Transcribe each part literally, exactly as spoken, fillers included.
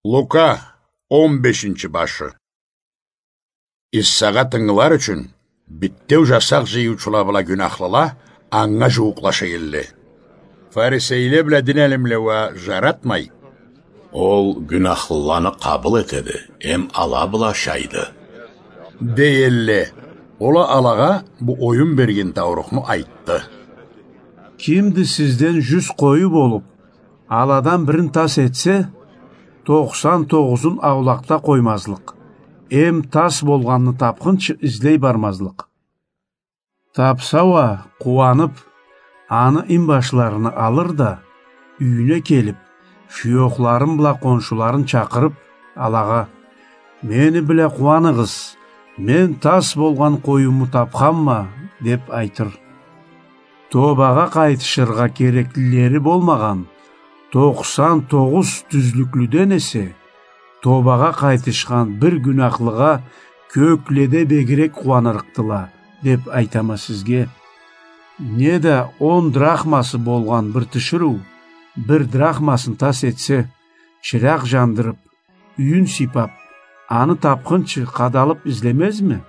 Лука, он бешинчи башы. Иссагъа тынгылар ючюн битеу жасакъ жыйыучула бла гюнахлыла анга жууукълаша элле. Фарисейле бла дин алимле уа жаратмай: «Ол гюнахлыланы къабыл этеди, эм ала бла ашайды», — дей элле. Ол а алагъа бу оюн берген таурухну айтды: «Кимди сизден жюз къою болуп, аладан бирин тас этсе, тохсан тогъузун аулакъда къоймазлыкъ, эм тас болгъанны тапхынчы излей бармазлыкъ? Тапса уа, къууанып, аны инбашларыны алыр да, юйюне келип, шуёхларын бла къоншуларын чакъырып, алагъа: „Мени бла къууаныгъыз, мен тас болгъан къоюму тапханма“, — деп айтыр. Тобагъа къайтышыргъа кереклилери болмагъан тохсан тогъуз тюзлюклюден эсе, тобагъа къайтышхан бир гюнахлыгъа кёкледе бегирек къууанырыкъдыла, деп айтама сизге. Неда он драхмасы болгъан бир тиширыу бир драхмасын тас этсе, чыракъ жандырып, юйюн сыйпап, аны тапхынчы къадалып излемезми?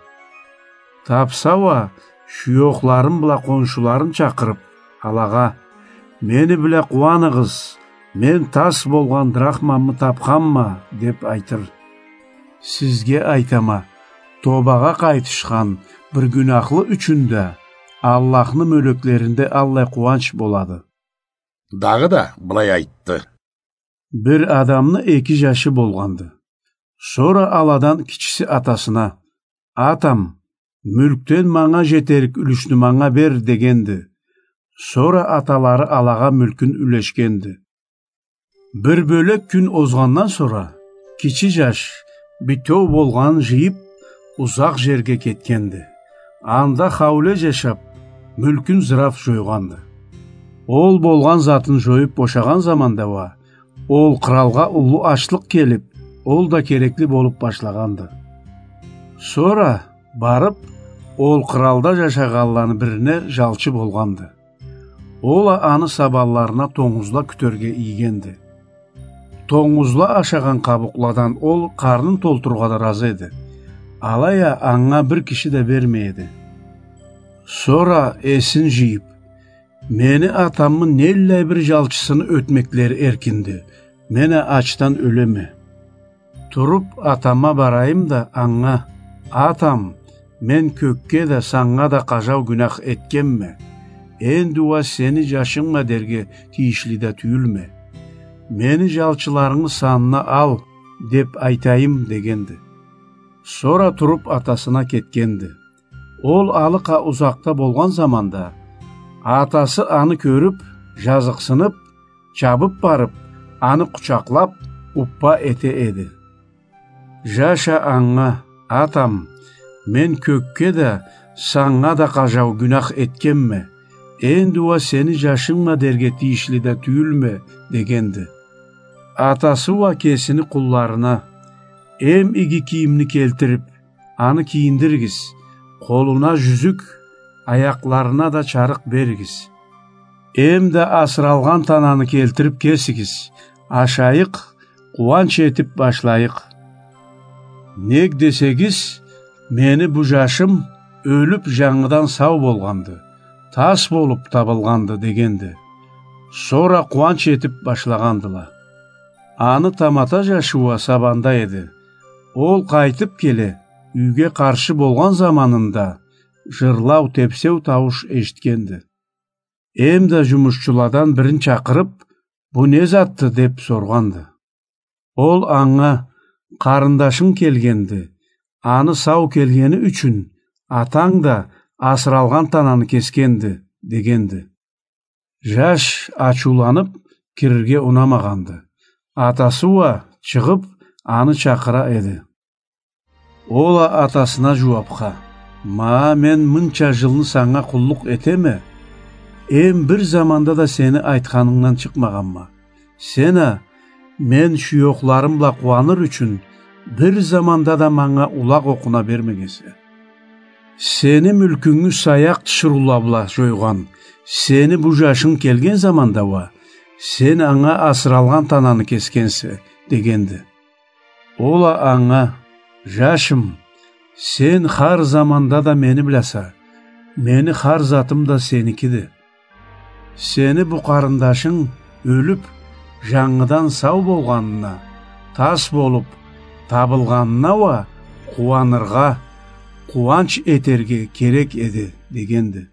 Тапса уа, шуёхларын бла къоншуларын чакъырып, алагъа: „Мени бла къууаныгъыз, мен тас болгъан драхмамы тапханма“, — деп айтыр. Сизге айтама, тобагъа къайтышхан бир гюнахлы ючюн да Аллахны мёлеклеринде аллай къууанч болады. Дагъыда былай айтды: Бир адамны эки жашы болгъанды. Сора аладан кичиси атасына: „Атам, мюлкден манга жетерик юлюшню манга бер“, — дегенди. Сора аталары алагъа мюлкюн юлешгенди. Бир бёлек кюн озгъандан сора, кичи жаш, битеу болгъанын жыйып, узакъ жерге кетгенди. Анда хауле жашап, мюлкюн зырап жойгъанды. Ол болгъан затын жоюп бошагъан заманда уа, ол къралгъа уллу ачлыкъ келип, ол да керекли болуп башлагъанды. Сора, барып, ол къралда жашагъанланы бирине жалчы болгъанды. Ол а аны сабанларына тонгузла кютерге ийгенди. Тонгузла ашагъан къабукъладан ол къарнын толтурургъа да разы эди. Алай а анга бир киши да бермей эди. Сора эсин жыйып: „Мени атамы неллай бир жалчысыны ётмеклери эркинди, мен а ачдан ёлеме. Туруп, атама барайым да, анга: „Атам, мен кёкге да, санга да къажау гюнах этгенме. Энди уа сени жашынгма дерге тийишли да тюйюлме. Мени жалчыларынгы санына ал“, — деп айтайым, — дегенди. Сора туруп атасына кетгенди. Ол алыкъа узакъда болгъан заманда, атасы аны кёрюп, жазыкъсынып, чабып барып, аны къучакълап, уппа эте эди. Жаш а анга: „Атам, мен кёкге да, санга да къажау гюнах этгенме. Энди уа сени жашынгма дерге тийишли да тюйюлме“, — дегенди. Атасы уа кесини къулларына: „Эм иги кийимни келтирип, аны кийиндиригиз, къолуна жюзюк, аякъларына да чарыкъ беригиз. Эм да асыралгъан тананы келтирип кесигиз, ашайыкъ, къууанч этип башлайыкъ. Нек десегиз, мени бу жашым ёлюп, жангыдан сау болгъанды, тас болуп табылгъанды“, — дегенди. Сора къууанч этип башлагъандыла. Аны тамата жашы уа сабанда эди. Ол къайтып келе, юйге къаршы болгъан заманында, жырлау, тепсеу таууш эшитгенди. Эм да жумушчуладан бирин чакъырып: „Бу не затды?“ — деп соргъанды. Ол анга: „Къарындашынг келгенди, аны сау келгени ючюн атанг да асыралгъан тананы кесгенди“, — дегенди. Жаш ачыуланып, кирирге унамагъанды. Атасы уа чыгъып, аны чакъыра эди. Ол а атасына жууапха: „Ма, мен мынча жылны санга къуллукъ этеме, эм бир заманда да сени айтханынгдан чыкъмагъанма. Сен а, мен шуёхларым бла къууаныр ючюн, бир заманда да манга улакъ окъуна бермегенсе. Сени мюлкюнгю саякъ тиширыула бла жойгъан сени бу жашынг келген заманда уа, сен анга асыралгъан тананы кесгенсе“, — дегенди. Ол а анга: «Жашым, сен хар заманда да мени билесе, мени хар затым да сеникиди. Сени бу къарындашынг ёлюп, жангыдан сау болгъанына, тас болуп табылгъанына уа къууаныргъа, къууанч этерге керек эди», — дегенди.